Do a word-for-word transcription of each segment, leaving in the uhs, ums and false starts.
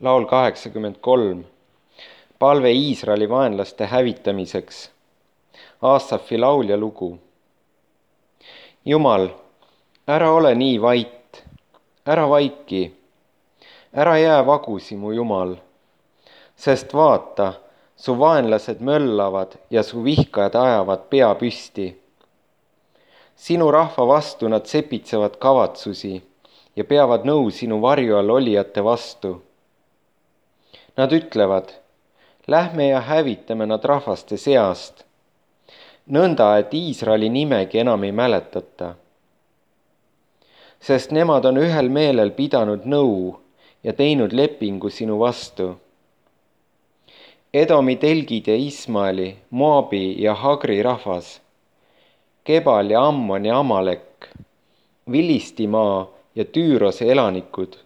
laul kaheksakümmend kolm. Palve Iisraeli vaenlaste hävitamiseks. Aasafi laul ja lugu. Jumal, ära ole nii vait, ära vaiki, ära jää vagusi, mu Jumal, sest vaata, su vaenlased möllavad ja su vihkajad ajavad pea püsti. Sinu rahva vastu nad sepitsevad kavatsusi ja peavad nõu sinu varju all olijate vastu. Nad ütlevad, lähme ja hävitame nad rahvaste seast, nõnda, et Iisraeli nimegi enam ei mäletata. Sest nemad on ühel meelel pidanud nõu ja teinud lepingu sinu vastu. Edomi telgid ja Ismaeli, Moabi ja Hagri rahvas, Kebal ja Ammon ja Amalek, Vilistimaa ja Tüürose elanikud.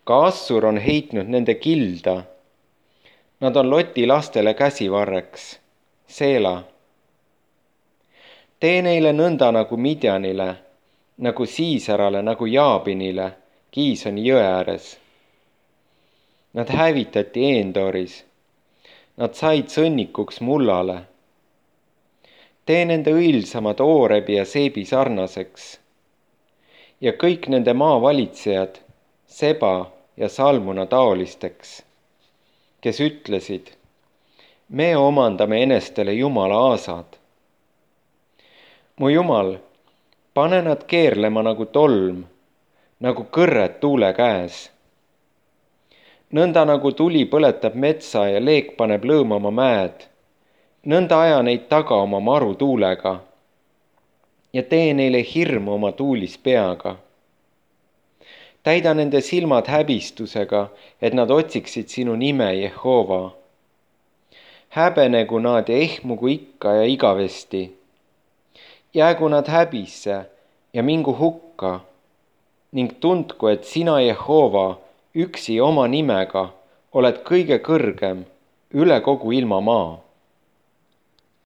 Ka Assur on heitnud nende kilda. Nad on Loti lastele käsivarreks. Seela. Tee neile nõnda nagu Midjanile, nagu Siisarale, nagu Jaabinile, Kiisoni jõe ääres. Nad hävitati Eendoris. Nad said sõnnikuks mullale. Tee nende õilsamad Oorebi ja Seebi sarnaseks. Ja kõik nende maavalitsejad, Seba ja Salmuna taolisteks, kes ütlesid, me omandame enestele Jumala aasad. Mu Jumal, pane nad keerlema nagu tolm, nagu kõrred tuule käes. Nõnda nagu tuli põletab metsa ja leek paneb lõõmama mäed, nõnda aja neid taga oma maru tuulega ja tee neile hirmu oma tuulis peaga. Täida nende silmad häbistusega, et nad otsiksid sinu nime, Jehova. Häbenegu nad ja ehmugu ikka ja igavesti. Jäägu nad häbisse ja mingu hukka ning tundku, et sina, Jehova, üksi oma nimega oled kõige kõrgem üle kogu ilma maa.